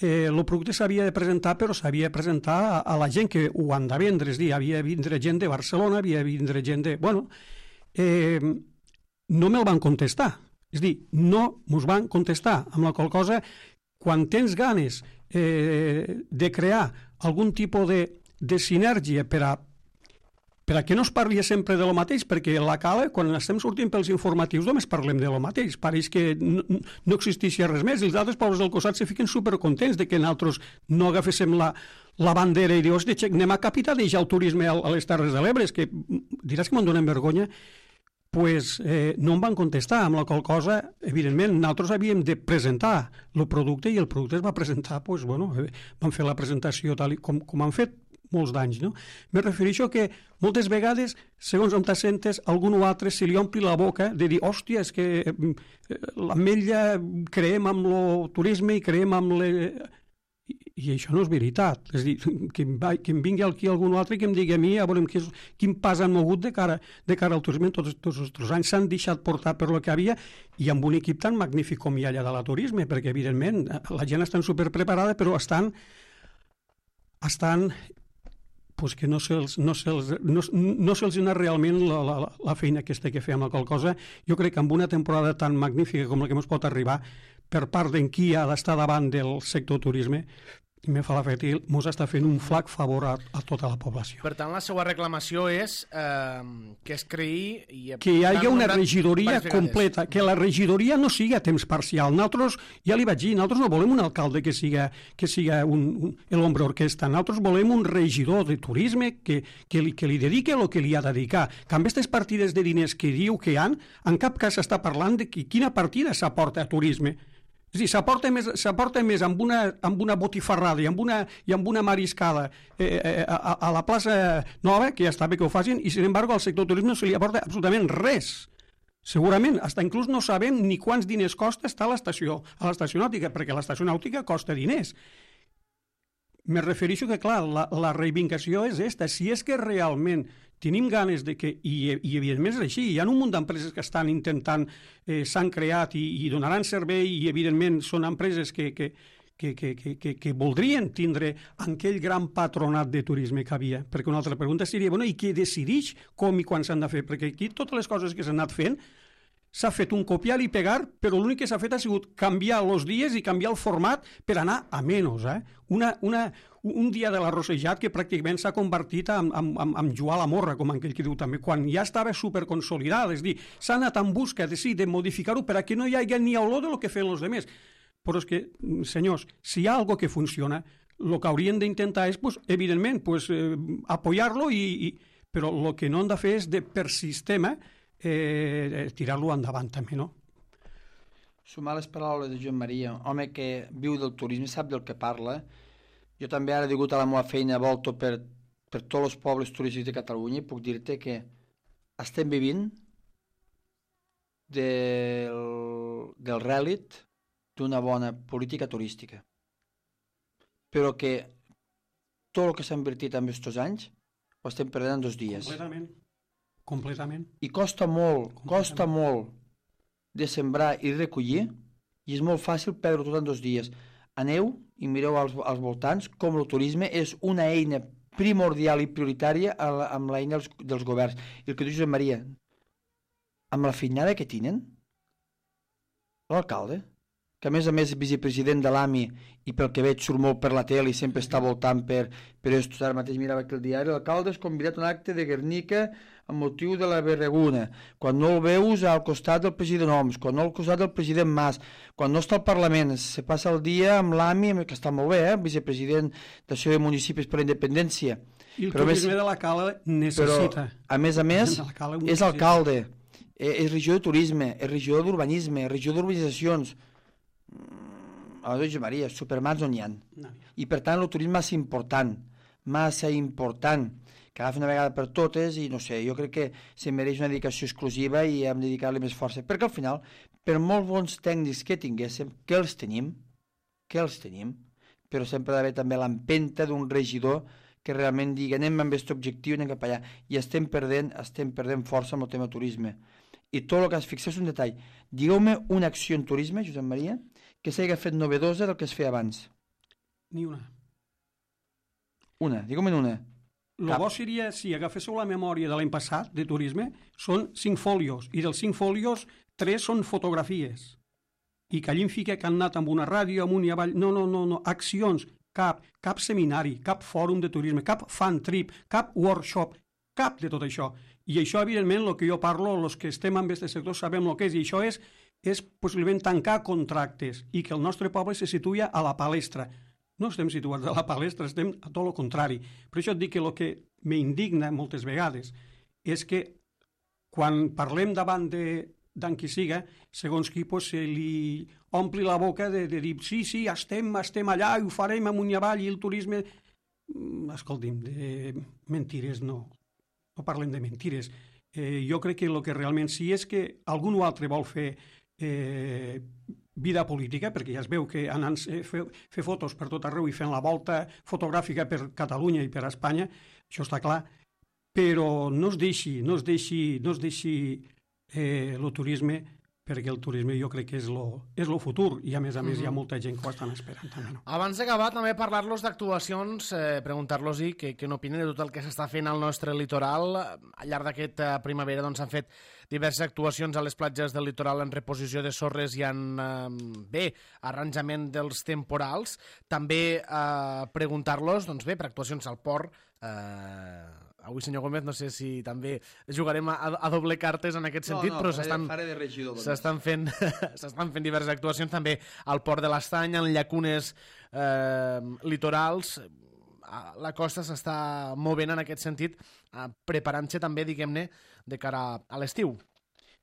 El producte s'havia de presentar, però s'havia de presentar a la gent que ho han de vendre, és a dir, havia de vindre gent de Barcelona, havia de vindre gent de... Bueno, no me'l van contestar, és a dir, no mos van contestar, amb la qual cosa, quan tens ganes de crear algun tipus de sinergia per a que no es parli sempre de lo mateix, perquè la cala, quan estem sortint pels informatius, només parlem de lo mateix. Pareix que no existeixia res més, i els altres pobles del costat se fiquen supercontents de que nosaltres no agaféssim la bandera i dius, hòstia, anem a capitalitzar el turisme a les Terres de l'Ebre, que diràs que me'n donen vergonya, pues no em van contestar, amb la qual cosa, evidentment, nosaltres havíem de presentar el producte i el producte es va presentar, pues, bueno, van fer la presentació tal com han fet molts d'anys, no? Me refereixo que moltes vegades, segons on t'assentes, algun o altre se li ompli la boca de dir, hòstia, és que l'Ametlla creem amb el turisme i creem amb I això no és veritat. És a dir, que em vingui aquí algun altre i que em digui a mi, a veure quin pas han mogut de cara al turisme. Tots els anys s'han deixat portar per lo que havia, i amb un equip tan magnífic com hi ha allà de la turisme, perquè evidentment la gent està superpreparada, però estan pues que no se'ls dona realment la feina aquesta que fem, la qual cosa jo crec que amb una temporada tan magnífica com la que ens pot arribar per part d'en qui ha d'estar davant del sector turisme, me fa l'efecte que ens està fent un flac favor a tota la població. Per tant, la seva reclamació és que es creï... Que hi hagi una regidoria completa, que la regidoria no sigui a temps parcial. Nosaltres, ja li vaig dir, nosaltres no volem un alcalde que siga l'ombra orquestra. Nosaltres volem un regidor de turisme que li dediqui el que li ha de dedicar. Que amb aquestes partides de diners que diu que hi ha, en cap cas s'està parlant de quina partida s'aporta a turisme. És a dir, s'aporta més amb una botifarrada i amb una mariscada a la plaça Nova, que ja està bé que ho facin, i, sin embargo, al sector turisme no se li aporta absolutament res. Segurament, fins inclús no sabem ni quants diners costa estar a l'estació nàutica, perquè l'estació nàutica costa diners. Me refereixo que, clar, la reivindicació és esta. Si és que realment tenim ganes de que, i evidentment és així, hi ha un munt d'empreses que estan intentant, s'han creat i donaran servei, i evidentment són empreses que voldrien tindre aquell gran patronat de turisme que havia. Perquè una altra pregunta seria, bueno, i qui decideix com i quan s'han de fer? Perquè aquí totes les coses que s'han anat fent s'ha fet un copiar i pegar, però l'únic que s'ha fet ha sigut canviar els dies i canviar el format per anar a menys. Un dia de l'arrossejat que pràcticament s'ha convertit en jugar a la morra, com aquell que diu també, quan ja estava superconsolidat. És a dir, s'ha anat en busca de modificar-ho per a que no hi hagi ni olor del que feien els altres. Però és que, senyors, si hi ha alguna que funciona, el que haurien d'intentar és, evidentment, apoyar-lo, però el que no han de fer és, per sistema, tirar-lo endavant també, no? Sumar les paraules de Joan Maria, home que viu del turisme, sap del que parla. Jo també ara, degut a la meva feina, volto per tots els pobles turístics de Catalunya i puc dir-te que estem vivint del rèlit d'una bona política turística. Però que tot el que s'ha invertit en aquests anys ho estem perdent en 2 dies. Completament. I costa molt de sembrar i recollir i és molt fàcil perdre tot en 2 dies. Aneu i mireu als voltants com el turisme és una eina primordial i prioritària amb l'eina dels governs. I el que diu Josep Maria, amb la feinada que tenen, l'alcalde, que a més és vicepresident de l'AMI i pel que veig surt molt per la tele i sempre està voltant per esto. Ara mateix mirava aquí el diari, l'alcalde és convidat a un acte de Guernica amb motiu de la Berreguna, quan no el veus al costat del president Homs, quan no al costat del president Mas, quan no està al Parlament, se passa el dia amb l'AMI, que està molt bé, vicepresident d'Associació de Municipis per la Independència. I el turisme de la Cala necessita. Però, a més, és alcalde, és regidor de turisme, és regidor d'urbanisme, és regidor d'urbanitzacions. A la Maria, supermans on hi ha. I per tant el turisme massa important, que agafi una vegada per totes i no sé, jo crec que se mereix una dedicació exclusiva i hem de dedicar-li més força, perquè al final, per molts bons tècnics que tinguéssim, que els tenim, però sempre ha d'haver també l'empenta d'un regidor que realment digui anem amb aquest objectiu, anem cap allà, i estem perdent força amb el tema turisme. I tot el que es fixés un detall. Digueu-me una acció en turisme, Josep Maria, que s'hagi fet novedosa del que es feia abans. Ni una. Digueu-me una. El bo seria, si agaféssiu la memòria de l'any passat, de turisme, són 5 fòlios, i dels 5 fòlios, 3 són fotografies. I que allí em fica que han anat amb una ràdio, amunt i avall. No, accions, cap seminari, cap fòrum de turisme, cap fan trip, cap workshop, cap de tot això. I això, evidentment, el que jo parlo, els que estem en aquest sector sabem el que és, i això és possiblement tancar contractes i que el nostre poble se situï a la palestra. No estem situats a la palestra, estem a tot el contrari. Per això et dic que el que m'indigna moltes vegades és que quan parlem davant d'en qui siga, segons qui se li ompli la boca de dir sí, estem allà i ho farem amunt i avall i el turisme... Escolti'm, de mentires no parlem de mentires. Jo crec que el que realment sí és que algú altre vol fer vida política, perquè ja es veu que anant a fer fotos per tot arreu i fent la volta fotogràfica per Catalunya i per Espanya, això està clar, però no es deixi el turisme, perquè el turisme jo crec que és el futur i a més hi ha molta gent que ho estan esperant també. No? Abans d'acabar, també parlar-los d'actuacions, preguntar-los-hi què n'opinen de tot el que s'està fent al nostre litoral. Al llarg d'aquesta primavera s'han fet diverses actuacions a les platges del litoral en reposició de sorres i en arranjament dels temporals. També preguntar-los per actuacions al port. Avui, senyor Gómez, no sé si també jugarem a doble cartes en aquest sentit, però s'estan fent diverses actuacions també al Port de l'Estany, en llacunes litorals. La costa s'està movent en aquest sentit, preparant-se també, diguem-ne, de cara a l'estiu.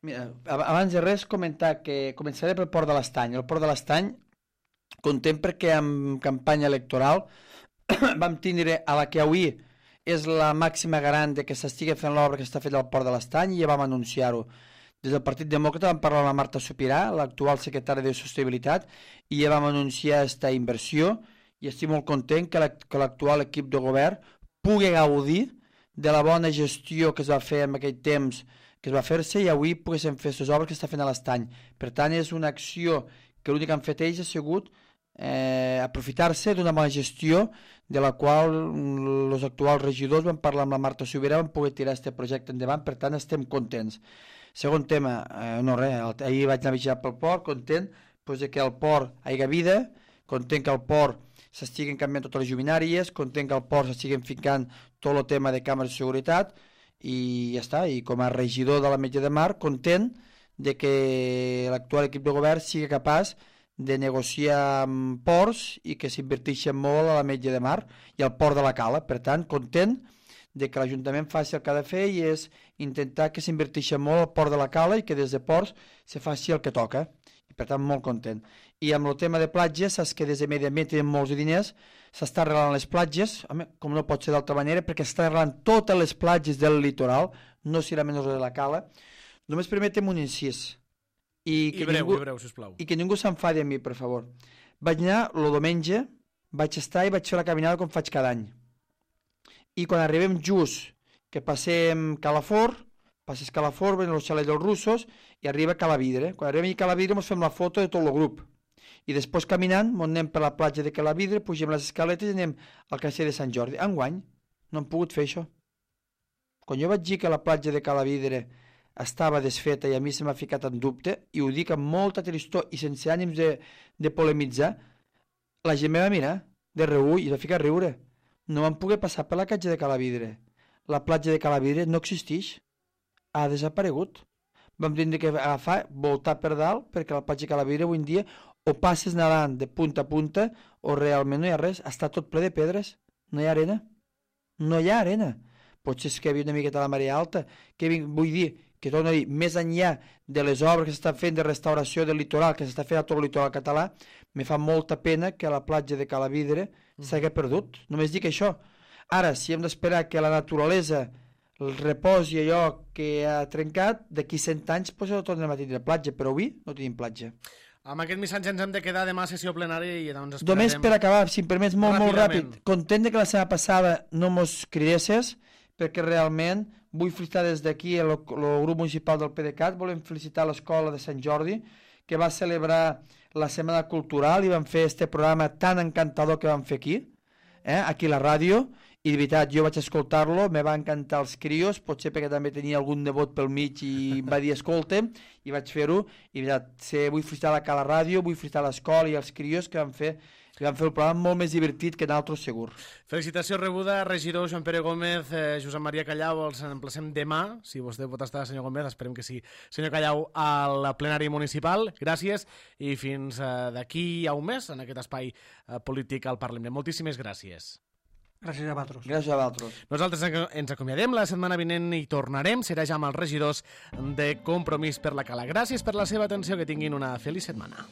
Mira, abans de res comentar que començaré pel Port de l'Estany. El Port de l'Estany, content perquè en campanya electoral vam tindre a la que avui és la màxima garant de que s'estigui fent l'obra que està feta al Port de l'Estany i ja vam anunciar-ho. Des del Partit Demòcrata vam parlar amb la Marta Supirà, l'actual secretària de Sostenibilitat, i ja vam anunciar aquesta inversió i estic molt content que l'actual equip de govern pugui gaudir de la bona gestió que es va fer en aquell temps que es va fer-se i avui poguéssim fer aquestes obres que està fent a l'Estany. Per tant, és una acció que l'únic que han fet ells ha sigut aprofitar-se d'una bona gestió de la qual els actuals regidors van parlar amb la Marta Subirà, van poder tirar aquest projecte endavant, per tant estem contents. Segon tema, ahir vaig anar a vigilar pel port, content que al port hi hagi vida, content que al port s'estiguen canviant totes les lluminàries, content que al port s'estiguen ficant tot el tema de càmeres de seguretat i ja està, i com a regidor de la Metge de Mar, content de que l'actual equip de govern sigui capaç de negociar amb ports i que s'inverteixen molt a la Metge de Mar i al port de la Cala. Per tant, content de que l'Ajuntament faci el que ha de fer i és intentar que s'inverteixi molt al port de la Cala i que des de ports se faci el que toca. I per tant, molt content. I amb el tema de platges, saps que des de Medi Ambient tenen molts diners, s'està arreglant les platges, home, com no pot ser d'altra manera, perquè s'està arreglant totes les platges del litoral, no serà menys de la Cala. Només permetem un incís. I breu, sisplau. I que ningú s'enfadi amb mi, per favor. Vaig anar el diumenge, vaig estar i vaig fer la caminada com faig cada any. I quan arribem just, que passem Calafort, passes Calafort, ven el xalet dels russos i arriba Calavidre. Quan arribem a Calavidre ens fem la foto de tot el grup. I després caminant, anem per la platja de Calavidre, pugem les escaletes i anem al castell de Sant Jordi. Enguany no hem pogut fer això. Quan jo vaig dir que la platja de Calavidre estava desfeta i a mi se m'ha ficat en dubte, i ho dic amb molta tristor i sense ànims de polemitzar, la gent me va mirar de reull i va ficar a riure. No vam poder passar per la platja de Calavidre. La platja de Calavidre no existeix. Ha desaparegut. Vam tindre que agafar, voltar per dalt, perquè la platja de Calavidre avui en dia o passes nedant de punta a punta o realment no hi ha res. Està tot ple de pedres. No hi ha arena. No hi ha arena. Potser és que hi havia una miqueta la marea alta. Vull dir que, torno a dir, més enllà de les obres que s'estan fent de restauració del litoral, que s'està fent a tot el litoral català, me fa molta pena que la platja de Calavidre s'hagi perdut. Només dic això. Ara, si hem d'esperar que la naturalesa el reposi allò que ha trencat, d'aquí 100 anys doncs ho tornem a tindre platja, però avui no tenim platja. Amb aquest missatge ens hem de quedar demà a sessió plenària i doncs esperarem... Només per acabar, si em permets, molt ràpid. Content que la setmana passada no mos cridesses, perquè realment vull felicitar des d'aquí el grup municipal del PDeCAT, volem felicitar l'escola de Sant Jordi, que va celebrar la Setmana Cultural i van fer este programa tan encantador que van fer aquí, aquí a la ràdio, i de veritat, jo vaig escoltar-lo, me va encantar els crios, potser perquè també tenia algun nebot pel mig i em va dir escolta'm, i vaig fer-ho, i de veritat, vull felicitar a la ràdio, vull felicitar l'escola i els crios que van fer el programa molt més divertit que d'altres segur. Felicitació rebuda, regidor Joan Pere Gómez, Josep Maria Callau, els emplacem demà, si vostè pot estar, senyor Gómez, esperem que sí, senyor Callau, al plenari municipal. Gràcies, i fins d'aquí a un mes, en aquest espai polític al Parlament. Moltíssimes gràcies. Gràcies a vosaltres. Gràcies a vosaltres. Nosaltres ens acomiadem, la setmana vinent hi tornarem, serà ja amb els regidors de Compromís per la Cala. Gràcies per la seva atenció, que tinguin una feliç setmana.